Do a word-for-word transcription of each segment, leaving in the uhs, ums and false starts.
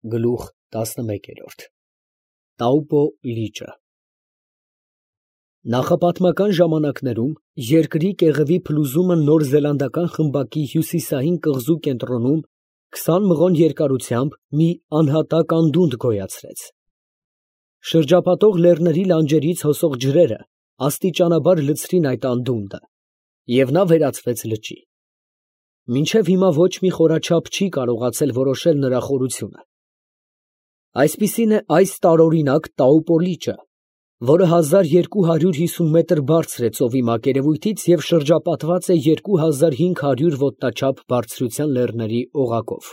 Գլուխ տասնմեկ։ Տաուպո լիճը։ Նախապատմական ժամանակներում երկրի կեղևի փլուզումը նոր զելանդական խմբակի հյուսիսային կղզու կենտրոնում քսան մղոն երկարությամբ մի անհատակ անդունդ գոյացրեց։ Շրջապատող լեռների լանջերից հոսող ջրերը աստիճանաբար լցրին այդ անդունդը, և նա վերածվեց լճի։ Մինչև հիմա ոչ մի խորաչափ չի կարողացել որոշել նրա խորությունը։ Այսպիսին է այս տարօրինակ Տաուպո լիճը, որը հազար երկու հարյուր հիսուն մետր բարձր է ծովի մակերևույթից և շրջապատված է երկու հազար հինգ հարյուր ոտնաչափ բարձրության լեռների օղակով։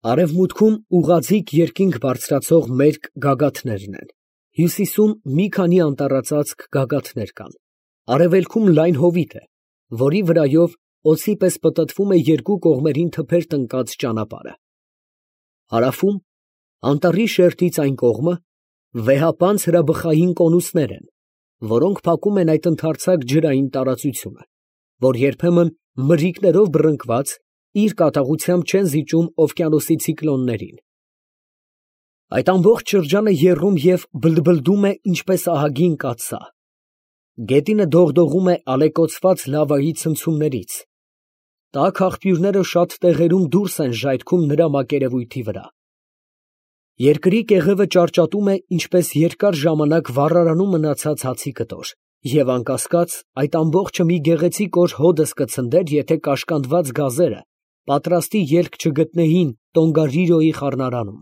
Արևմուտքում ուղղաձիգ երկինք բարձրացող մերկ գագաթներն են, հյուսիսում մի քանի անտառածածկ գագաթներ կան, արևելքում լայն հովիտ է, որի վրայով օձի պես պտտվում է երկու կողմերին թփեր տնկած ճանապարհը։ Հարավում, անտառի շերտից այն կողմը, վեհապանծ հրաբխային կոնուսներ են, որոնք փակում են այդ ընդարձակ ջրային տարածությունը, որ երբեմն մրրիկներով բռնկված իր կատաղությամբ չեն զիջում օվկիանոսի ցիկլոններին։ Այդ ամբողջ շրջանը եռում և բլբլդում է ինչպես ահագին կաթսա։ Գետինը դողդողում է ալեկոծված լավայի ցնցումներից։ Տաք աղբյուրները շատ տեղերում դուրս են ժայթքում նրա մակերևույթի վրա։ Երկրի կեղևը ճարճատում է ինչպես երկար ժամանակ վառարանում մնացած հացի կտոր, և անկասկած, այդ ամբողջը մի գեղեցիկ օր հոդս կցնդեր, եթե կաշկանդված գազերը պատրաստի ելք չգտնեին Տոնգարիրոյի խառնարանում։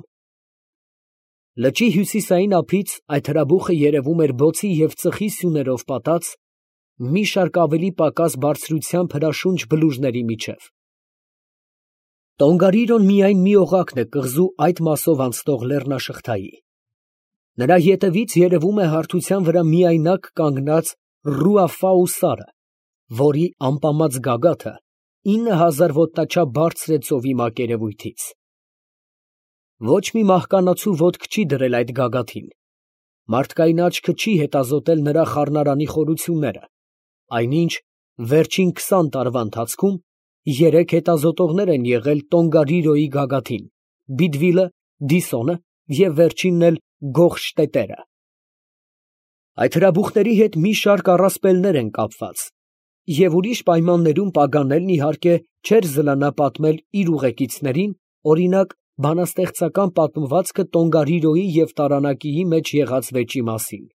Լճի հյուսիսային ափից այդ հրաբուխը երևում էր բոցի և ծխի սյուներով պատած մի շարք ավելի պակաս բարձրությամբ հրաշունչ բլուրների միջև։ Տոնգարիրոն միայն մի օղակն է կղզու այդ մասով անցնող լեռնաշղթայի։ Նրա ետևից երևում է հարթության վրա միայնակ կանգնած Ռուաֆաու սարը, որի ամպամած գագաթը ինը հազար ոտնաչափ բարձր է ծովի մակերևույթից։ Ոչ մի մահկանացու ոտք չի դրել այդ գագաթին, մարդկային աչքը չի հետազոտել նրա խառնարանի խորությունները, այնինչ վերջին քսան տարվա ընթացքում երեք հետազոտողներ են եղել Տոնգարիրոյի գագաթին՝ Բիդվիլը, Դիսոնը և վերջինն էլ Գոխշտետերը։ Այդ հրաբուխների հետ մի շարք առասպելներ են կապված, և ուրիշ պայմաններում Պագանելն իհարկե չէր զլանա պատմել իր ուղեկիցներին, օրինակ, բանաստեղծական պատմվածքը Տոնգարիրոյի և Տարանակիի մեջ եղած վեճի մասին,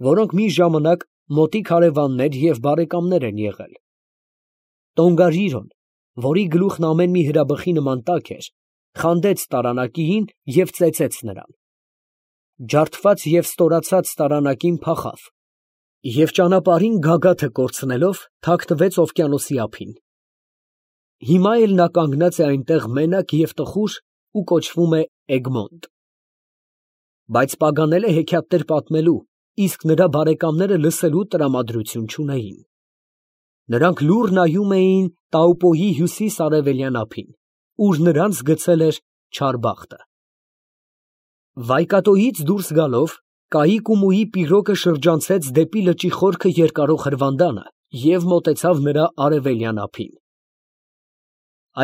որոնք մի ժամանակ մոտիկ հարևաններ և բարեկամներ են եղել։ Տոնգարիրոն, որի գլուխն ամեն մի հրաբխի նման տաք էր, խանդեց Տարանակիին և ծեծեց նրան։ Ջարդված և ստորացած Տարանակին փախավ և ճանապարհին գագաթը կորցնելով թաքնվեց օվկիանոսի ափին։ Հիմա էլ նա կանգնած է այնտեղ մենակ և տխուր ու կոչվում է Էգմոնտ։ Բայց Պագանելը հեքիաթներ պատմելու, իսկ նրա բարեկամները լսելու տրամադրություն չունեին։ Նրանք լուռ նայում էին Տաուպոյի հյուսիս֊արևելյան ափին, ուր նրանց գցել էր չար բախտը։ Վայկատոյից դուրս գալով, Կայիկումուի պիրոգը շրջանցեց դեպի լճի խորքը երկարող հրվանդանը և մոտեցավ նրա արևելյան ափին։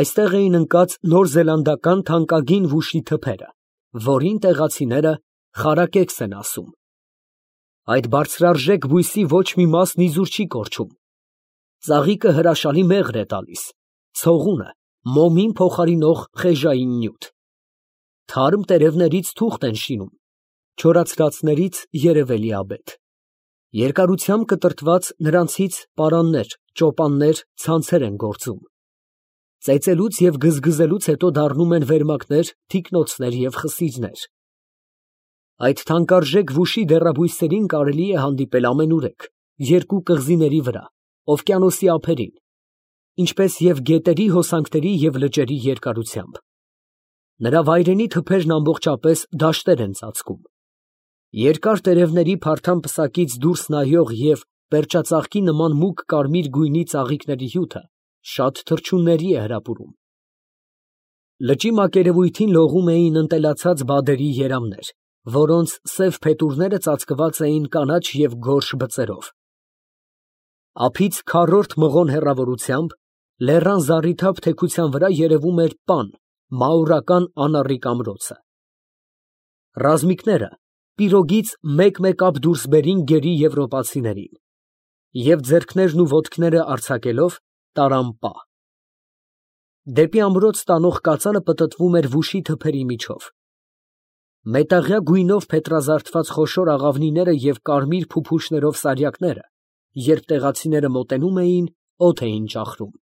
Այստեղ էին ընկած նորզելանդական թանկագին վուշի թփերը, որին տեղացիները խարակեքս են ասում։ Այդ բարձրարժեք բույսի ոչ մի մասն իզուր չի կորչում։ Ծաղիկը հրաշալի մեղր է տալիս, ցողունը մոմին փոխարինող խեժային նյութ։ Թարմ տերևներից թուղթ են շինում, չորացրածներից երևելի աբեթ։ Երկարությամբ կտրտված նրանցից պարաններ, ճոպաններ, ցանցեր են գործում։ Ծեծելուց և գզգզելուց հետո դառնում են վերմակներ, թիկնոցներ և խսիձներ։ Այդ թանկարժեք վուշի դեռաբույսերին կարելի է հանդիպել ամենուրեք, երկու կղզիների վրա, օվկիանոսի ափերին, ինչպես և գետերի հոսանքների և լճերի երկարությամբ։ Նրա վայրենի թփերն ամբողջապես դաշտեր են ծածկում։ Երկար տերևների փարթամ պսակից դուրս նայող և պերճածաղկի նման մուգ կարմիր գույնի ծաղիկների հյութը շատ թռչունների է հրապուրում։ Լճի մակերևույթին լողում էին ընտելացած բադերի երամներ, որոնց սև փետուրները ծածկված էին կանաչ և գորշ բծերով։ Ափից քառորդ մղոն հեռավորությամբ, լեռան զառիթափ թեքության վրա երևում էր պան, մաուրական անառիկ ամրոցը։ Ռազմիկները պիրոգից մեկ֊մեկ ափ դուրս բերին գերի եվրոպացիներին և ձեռքներն ու ոտքները արձակելով տարան պա։ Դեպի ամրոց տանող կածանը պտտվում էր վուշի թփերի միջով։ Մետաղյա գույնով փետրազարդված խոշոր աղավնիները և կարմիր փուփուշներով սարյակները, երբ տեղացիները մոտենում էին, օդ էին ճախրում։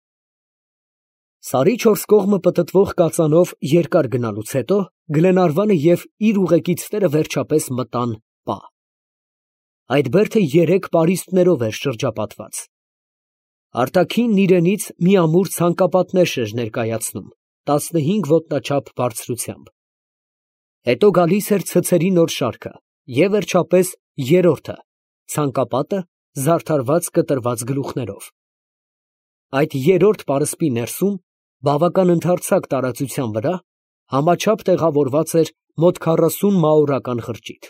Սարի չորս կողմը պտտվող կածանով երկար գնալուց հետո Գլենարվանը և իր ուղեկիցները վերջապես մտան պա։ Այդ բերդը երեք պարիսպներով էր շրջապատված։ Արտաքինն իրենից մի ամուր ցանկապատներ էր ներկայացնում տասնհինգ ոտնաչափ բարձրությամբ։ Հետո գալիս էր ցցերի նոր շարքը և վերջապես երրորդը, ցանկապատը զարդարված կտրված գլուխներով։ Այդ երրորդ պարսպի ներսում, բավական ընդարձակ տարածության վրա, համաչափ տեղավորված էր մոտ քառասուն մաուրական խրճիթ։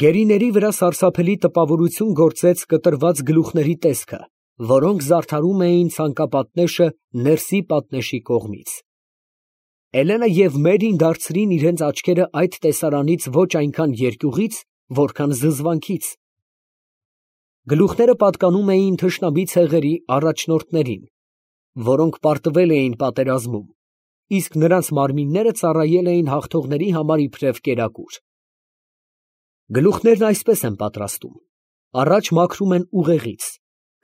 Գերիների վրա սարսափելի տպավորություն գործեց կտրված գլուխների տեսքը, որոնք զարդարում էին ցանկապատնեշը ներսի պատնեշի կողմից։ Էլենը և Մերին դարձրին իրենց աչքերը այդ տեսարանից ոչ այնքան երկյուղից, որքան զզվանքից։ Գլուխները պատկանում էին թշնամի ցեղերի առաջնորդներին, որոնք պարտվել էին պատերազմում, իսկ նրանց մարմինները ծառայել էին հաղթողների համար իբրև կերակուր։ Գլուխներն այսպես են պատրաստում. առաջ մաքրում են ուղեղից,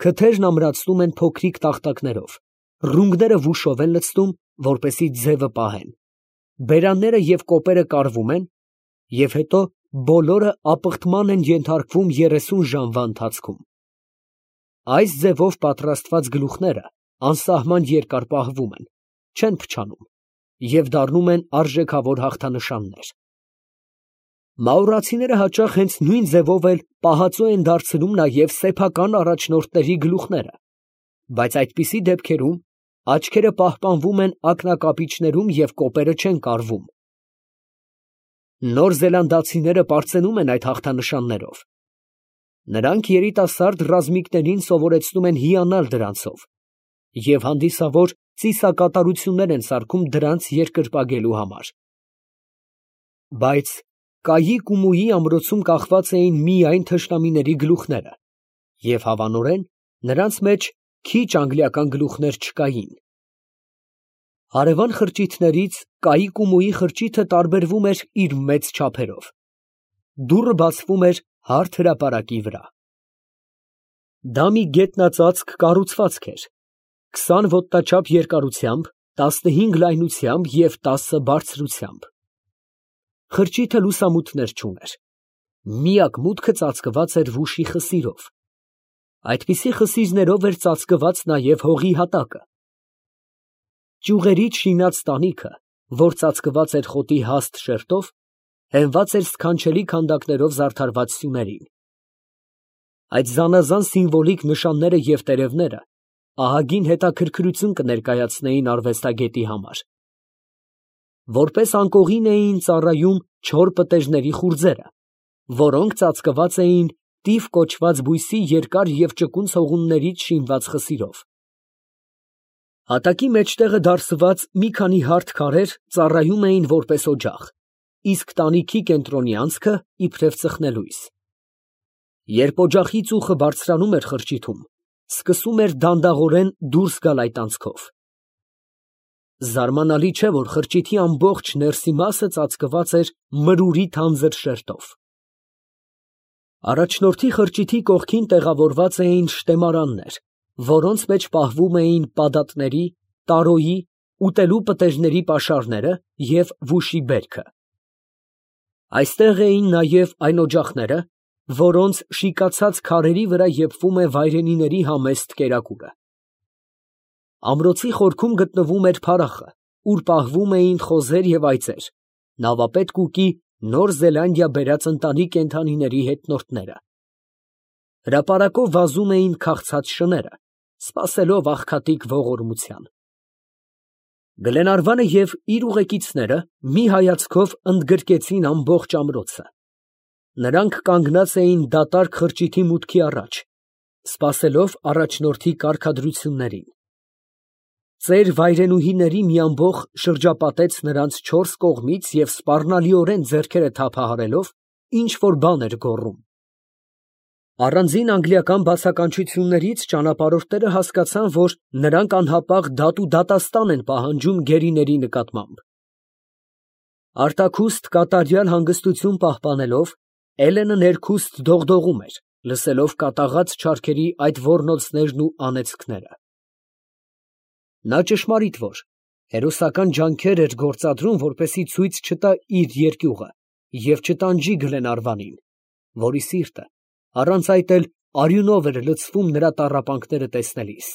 քթերն ամրացնում են փոքրիկ տախտակներով, ռունգները վուշով են լցնում, որպեսզի ձևը պահեն, բերանները և կոպերը կարվում են և հետո բոլորը ապխտման են ենթարկվում երեսուն ժամվա ընթացքում։ Այս ձևով պատրաստված գլուխները անսահման երկար պահվում են, չեն փչանում և դառնում են արժեքավոր հաղթանշաններ։ Մաուրացիները հաճախ հենց նույն ձևով էլ պահածո են դարձնում նաև սեփական առաջնորդների գլուխները, բայց այդպիսի դեպքերում աչքերը պահպանվում են ակնակապիչներում և կոպերը չեն կարվում։ Նոր զելանդացիները պարծենում են այդ հաղթանշաններով։ Նրանք երիտասարդ ռազմիկներին սովորեցնում են հիանալ դրանցով և հանդիսավոր ծիսակատարություններ են սարքում դրանց երկրպագելու համար։ Բայց Կայի֊Կումոյի ամրոցում կախված էին միայն թշնամիների գլուխները, և հավանորեն նրանց մեջ քիչ անգլիական գլուխներ չկային։ Հարևան խրճիթներից Կայի֊Կումոյի խրճիթը տարբերվում էր իր մեծ չափերով։ Դուռը բացվում էր հարթ հրապարակի վրա։ Դա մի գետնածածկ կառուցվածք էր, քսան ոտնաչափ երկարությամբ, տասնհինգ լայնությամբ և տասը բարձրությամբ։ Խրճիթը լուսամուտներ չուներ։ Միակ մուտքը ծածկված էր վուշի խսիրով։ Այդպիսի խսիրներով էր ծածկված նաև հողի հատակը։ Ճյուղերից շինած տանիքը, որ ծածկված էր խոտի հաստ շերտով, հենված էր սքանչելի քանդակներով զարդարված սյուներին։ Այդ զանազան սիմվոլիկ նշանները և տերևները ահագին հետաքրքրություն կներկայացնեին արվեստագետի համար։ Որպես անկողին էին ծառայում չոր պտերիների խուրձերը, որոնք ծածկված էին տիֆ կոչված բույսի երկար և ճկուն ցողուններից շինված խսիրով։ Հատակի մեջտեղը դարսված մի քանի հարթ քարեր ծառայում էին որպես օջախ, իսկ տանիքի կենտրոնի անցքը իբրև ծխնելույս։ Երբ օջախի ծուխը բարձրանում էր խրճիթում, սկսում էր դանդաղորեն դուրս գալ այդ անցքով։ Զարմանալի չէ, որ խրճիթի ամբողջ ներսի մասը ծածկված էր մրուրի թանձր շերտով։ Առաջնորդի խրճիթի կողքին տեղավորված էին շտեմարաններ, որոնց մեջ պահվում էին պադատների, տարոյի, ուտելու պտերիների պաշարները և վուշի բերքը։ Այստեղ էին նաև այն օջախները, որոնց շիկացած քարերի վրա եփվում է վայրենիների համեստ կերակուրը։ Ամրոցի խորքում գտնվում էր փարախը, ուր պահվում էին խոզեր և այծեր, նավապետ Կուկի Նոր Զելանդիա բերած ընտանի կենդանիների հետնորդները։ Հրապարակով վազում էին քաղցած շները, սպասելով աղքատիկ ողորմության։ Գլենարվանը և իր ուղեկիցները մի հայացքով ընդգրկեցին ամբողջ ամրոցը։ Նրանք կանգնած էին դատարկ խրճիթի մուտքի առաջ, սպասելով առաջնորդի կարգադրություններին։ Ծեր վայրենուհիների մի ամբոխ շրջապատեց նրանց չորս կողմից և սպառնալիորեն ձեռքերը թափահարելով ինչ֊որ բան էր գոռում։ Առանձին անգլիական բացականչություններից ճանապարհորդները հասկացան, որ նրանք անհապաղ դատ ու դատաստան են պահանջում գերիների նկատմամբ։ Արտաքուստ կատարյալ հանգստություն պահպանելով, Էլենը ներքուստ դողդողում էր, լսելով կատաղած չարքերի այդ ոռնոցներն ու անեծքները։ Նա ճշմարիտ որ հերոսական ջանքեր էր գործադրում, որպեսզի ցույց չտա իր երկյուղը և չտանջի Գլենարվանին, որի սիրտը առանց այդ էլ արյունով էր լցվում նրա տառապանքները տեսնելիս։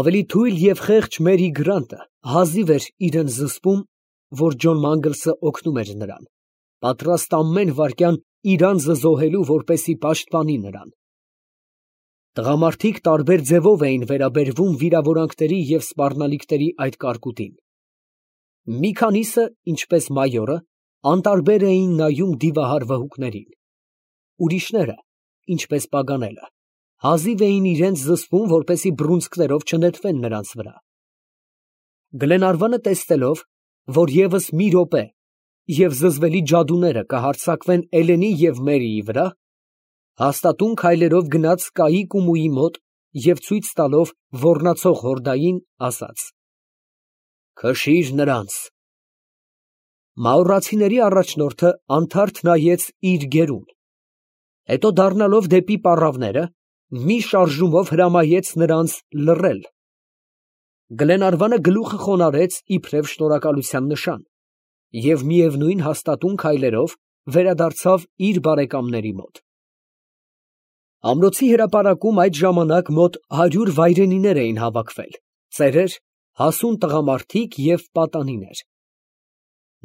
Ավելի թույլ և խեղճ Մերի Գրանտը հազիվ էր իրան զսպում, որ Ջոն Մանգլսը օգնում էր նրան, պատրաստ ամեն վայրկյան իր անձը զոհելու, որպեսզի պաշտպանի նրան։ Տղամարդիկ տարբեր ձևով էին վերաբերվում վիրավորանքների և սպառնալիքների այդ կարկուտին։ Մի քանիսը, ինչպես մայորը, անտարբեր էին նայում դիվահար վհուկներին։ Ուրիշները, ինչպես Պագանելը, հազիվ էին իրենց զսպում, որպեսզի բռունցքներով չնետվեն նրանց վրա։ Գլենարվանը տեսնելով, որ ևս մի րոպե և զզվելի ջադուները կհարձակվեն Էլենի և Մերիի վրա, հաստատուն քայլերով գնաց Կայի կումուի մոտ և ցույց տալով ոռնացող հորդային, ասաց. «Քշիր նրանց»։ Մաուրացիների առաջնորդը անթարթ նայեց իր գերուն, հետո դառնալով դեպի պառավները, մի շարժումով հրամայեց նրանց լռել։ Գլենարվանը գլուխը խոնարհեց իբրև շնորհակալության նշան և միևնույն հաստատուն քայլերով վերադարձավ իր բարեկամների մոտ։ Ամրոցի հրապարակում այդ ժամանակ մոտ հարյուր վայրենիներ էին հավաքվել, ծերեր, հասուն տղամարդիկ և պատանիներ։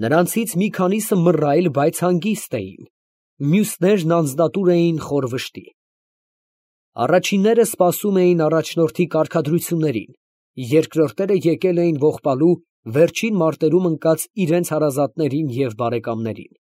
Նրանցից մի քանիսը մռայլ, բայց հանգիստ էին, մյուսներն անձնատուր էին խոր վշտի։ Առաջինները սպասում էին առաջնորդի կարգադրություններին, երկրորդները եկել էին ողբալու վերջին մարտերում ընկած իրենց հարազատներին և բարեկամներին։